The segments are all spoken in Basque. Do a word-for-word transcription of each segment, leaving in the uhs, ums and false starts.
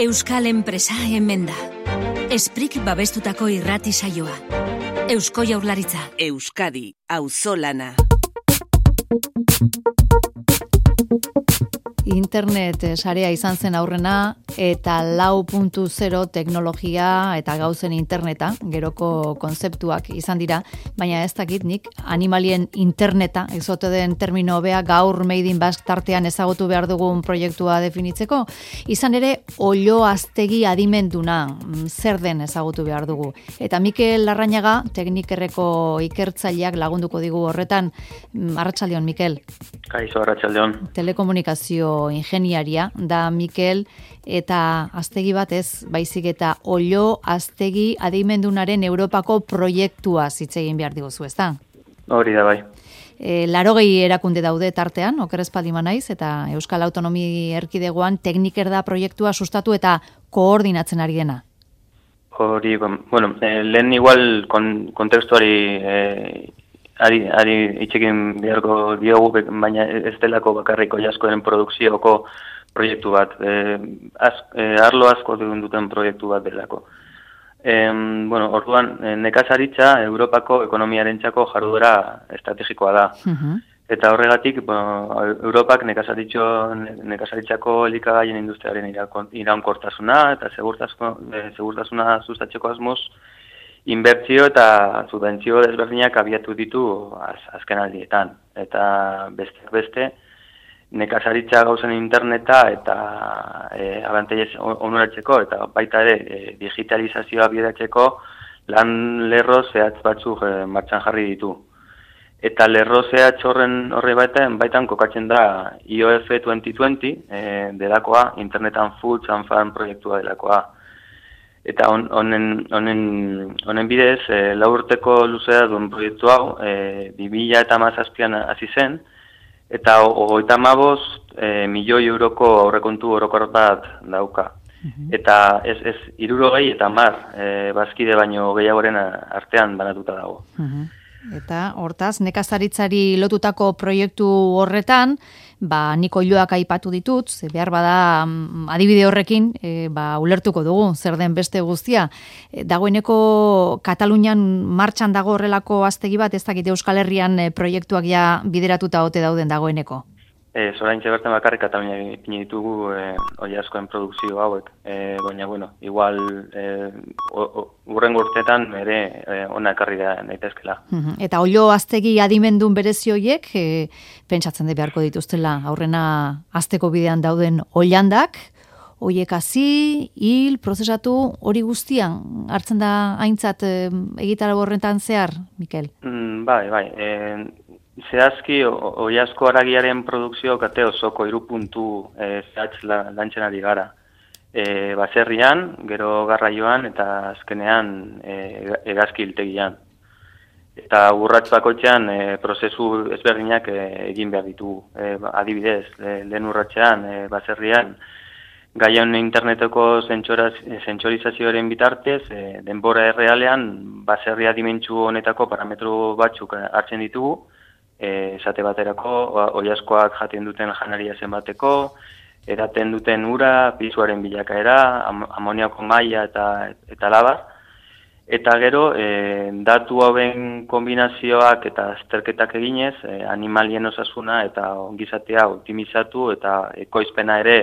Euskal enpresa hemen da. Esprik babestutako irrati saioa. Eusko Jaurlaritza. Euskadi, auzolana. Internet sarea izan zen aurrena eta lau puntu zero teknologia eta gauzen interneta, geroko konzeptuak izan dira, baina ez dakit nik animalien interneta, ezote den termino hobea gaur Made in Basque tartean ezagutu behar dugun proiektua definitzeko. Izan ere, Oloaztegi adimenduna, zer den ezagutu behar dugu. Eta Mikel Larrañaga, teknikerreko ikertzaileak lagunduko digu horretan. Arratsaldeon, Mikel. Kaixo, arratsaldeon. Telekomunikazio ingeniaria da Mikel, eta aztegi bat ez, baizik eta Oloaztegi adimendunaren Europako proiektua hitz egin behar diguzu, ez da? Hori da bai. E, larogei erakunde daude tartean, oker ez palima naiz, eta Euskal Autonomi Erkidegoan tekniker da proiektua sustatu eta koordinatzen ari dena. Hori, bueno, eh, lehen igual kon, kontekstuari eh, Ari, ari itxekin beharko diogu, baina ez delako bakarriko jaskoen produkzioko proiektu bat. E, az, e, arlo asko duten proiektu bat delako. E, bueno, orduan, nekazaritza Europako ekonomiarentzako jarduera estrategikoa da. Uh-huh. Eta horregatik, bueno, Europak nekazaritzako elikagaien industriaren iraunkortasuna eta segurtasuna sustatzeko asmoz, inbertsio eta subentzio desberdinak abiatu ditu az, azken aldietan. Eta besteak beste, nekazaritza gauzen interneta eta e, abantaiez onuratzeko eta baita ere e, digitalizazioa bidatzeko lan lerro zehatz batzuk e, martxan jarri ditu. Eta lerro zehatz horren horre baitan, baitan kokatzen da I O F twenty twenty e, delakoa, Internet and Food and Farm proiektua delakoa. Eta honen honen honen bidez, e, lau urteko luzea duen proiektu hau, e, bi mila hamazazpian hasi zen, eta hogeita hamabost e, milioi euroko aurrekontu orokor bat dauka. Uh-huh. Eta ez, ez hirurogei eta hamar e, bazkide baino gehiagoren artean banatuta dago. Uh-huh. Eta hortaz, nekazaritzari lotutako proiektu horretan, ba, nik oiloak aipatu ditut, ze behar bada adibide horrekin, e, ba, ulertuko dugu, zer den beste guztia. E, dagoeneko Katalunian martxan dago horrelako aztegi bat, ez dakit Euskal Herrian e, proiektuak ja bideratuta ote dauden dagoeneko. E, Zoraintxe bertan bakarrik Katalunia ipini ditugu e, oiazkoen produkzio hauek, e, baina, bueno, igual e, urrengo urteetan ere e, ona ekarri da daitezkela. Uh-huh. Eta Oloaztegi adimendun berezi horiek, e, pentsatzen de beharko dituztela aurrena azteko bidean dauden oilandak, hoiek hasi, hil, prozesatu, hori guztian hartzen da aintzat e, egitara horretan zehar, Mikel? Mm, bai, bai, e, zehazki, oiazko haragiaren produkzio kate osoko hiru puntu e, zehatz lantzen ari gara. E, baserrian, gero garraioan eta azkenean e, hegazki hiltegian. Eta urrats bakoitzean e, prozesu ezberdinak e, egin behar ditugu. E, adibidez, e, lehen urratsean, e, baserrian, gaian interneteko zentsorizazioaren bitartez, e, denbora errealean, baserria dimentsu honetako parametro batzuk hartzen ditugu, E, esate baterako, oiazkoak jaten duten janaria zenbateko, edaten duten ura, pisuaren bilakaera, am, amoniako maila eta, eta labar. Eta gero, e, datu hauen kombinazioak eta azterketak eginez, e, animalien osasuna eta ongizatea optimizatu eta ekoizpena ere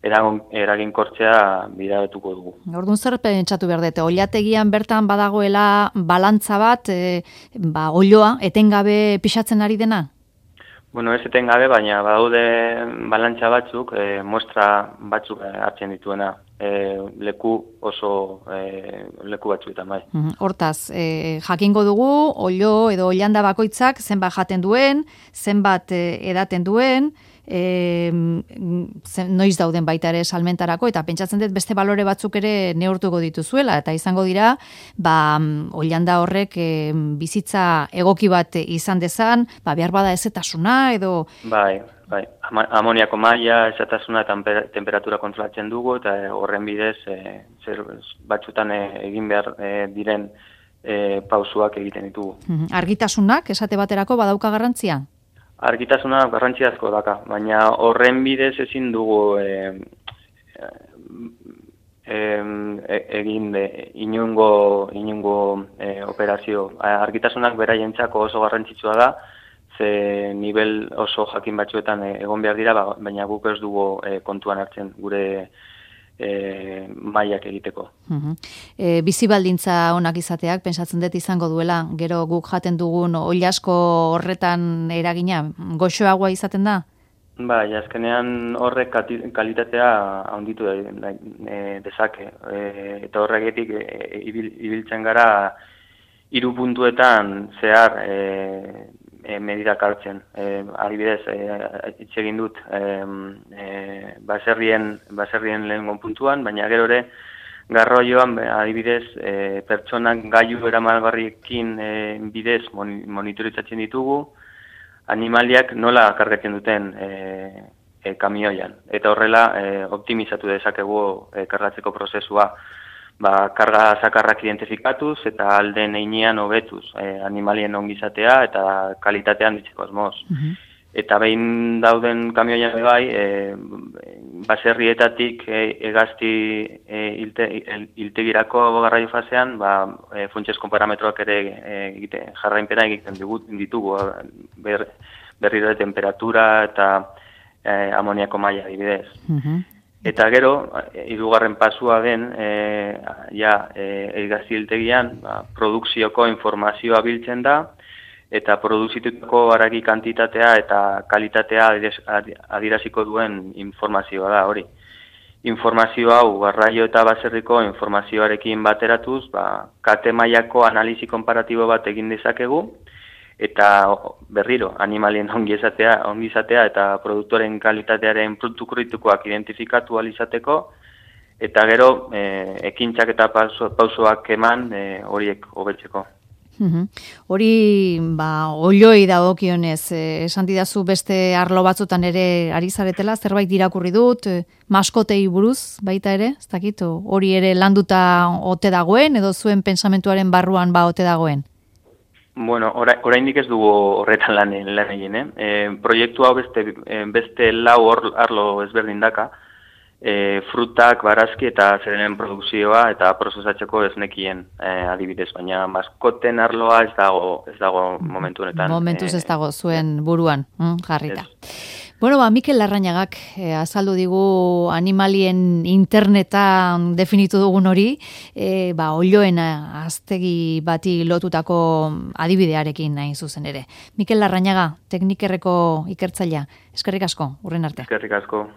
eraginkortzea bideratuko dugu. Orduan zer pentsatu behar dute, oilategian bertan badagoela balantza bat, e, ba, oiloa etengabe pixatzen ari dena? Bueno, ez etengabe, baina badaude balantza batzuk, e, muestra batzuk hartzen dituena. E, leku oso e, leku batzuetan bai. Hortaz, e, jakingo dugu, oilo edo oilanda bakoitzak zenbat jaten duen, zenbat e, edaten duen, E, noiz dauden baita ere salmentarako, eta pentsatzen dut beste balore batzuk ere neurtuko dituzuela, eta izango dira, ba, oilanda horrek e, bizitza egoki bat izan dezan, ba, behar bada ezetasuna, edo... Bai, bai, amoniako maila, ezetasuna eta temperatura kontrolatzen dugu, eta horren bidez, e, zer batzutan e, egin behar e, diren e, pausuak egiten ditugu. Argitasunak, esate baterako, badauka garrantzia? Argitasuna garrantzia asko daka, baina horren bidez ezin dugu e, egin de, inungo, inungo e, operazio. Argitasunak beraientzako oso garrantzitsua da, ze nivel oso jakin batzuetan egon behar dira, baina guk ez dugu e, kontuan hartzen gure e, mailak egiteko. Uh-huh. E, bizi baldintza onak izateak, pentsatzen dut izango duela, gero guk jaten dugun oilasko horretan eragina, goxoagoa izaten da? Ba, azkenean horrek kalitatea handitu da, e, dezake. E, eta horregetik e, ibil, ibiltzen gara hiru puntuetan zehar e, e, medidak hartzen. E, adibidez, e, hitz egin dut e, e, baserrien, baserrien lehengo puntuan, baina gero ere garraioan adibidez e, pertsonak gailu eramalgarriekin e, bidez monitoritzatzen ditugu, animaliak nola kargatzen duten e, e, kamioian. Eta horrela e, optimizatu dezakegu e, kargatzeko prozesua. Ba, karga zakarrak identifikatuz eta alden einean hobetuz e, animalien ongizatea eta kalitatean ditzeko asmoz. Uh-huh. Eta behin dauden kamioian bai, e, baserrietatik e, egazti e, ilte, iltegirako garraio fasean, ba, e, funtsezko parametroak ere egite, jarrainpena egiten ditugu, ber, berriro temperatura eta e, amoniako maila adibidez. Uh-huh. Eta gero, hirugarren pasua den, e, ja, e, egazti iltegian, ba, produkzioko informazioa biltzen da, eta produzitutako haragi kantitatea eta kalitatea adieraziko duen informazioa da hori. Informazio hau garraio eta baserriko informazioarekin bateratuz, ba, kate mailako analizi konparatibo bat egin dezakegu, eta berriro, animalien ongizatea, ongizatea eta produktoren kalitatearen produktu kritikoak identifikatu alizateko, eta gero e, ekintzak eta pausoak eman e, horiek hobetzeko. Uhum. Hori, ba, oiloi dagokionez, eh, esan didazu beste arlo batzutan ere ari zaretela, zerbait irakurri dut, eh, maskotei buruz baita ere, ez dakit, hori ere landuta ote dagoen, edo zuen pensamentuaren barruan ba ote dagoen? Bueno, oraindik ez dugu horretan lan, lan egin, eh? E, proiektu hau beste, beste lau arlo ezberdin daka, E, frutak, barazki eta zerenen produkzioa eta prozesatzeko esnekien e, adibidez, baina maskoten arloa ez dago, ez dago momentu honetan. Momentuz ez dago zuen buruan, mm, jarrita. Ez. Bueno, ba, Mikel Larrañagak eh, azaldu digu animalien internetan definitu dugun hori, eh, ba, oioen aztegi bati lotutako adibidearekin nahi zuzen ere. Mikel Larrañaga, teknikerreko ikertzailea, eskerrik asko, urren arte. Eskerrik asko.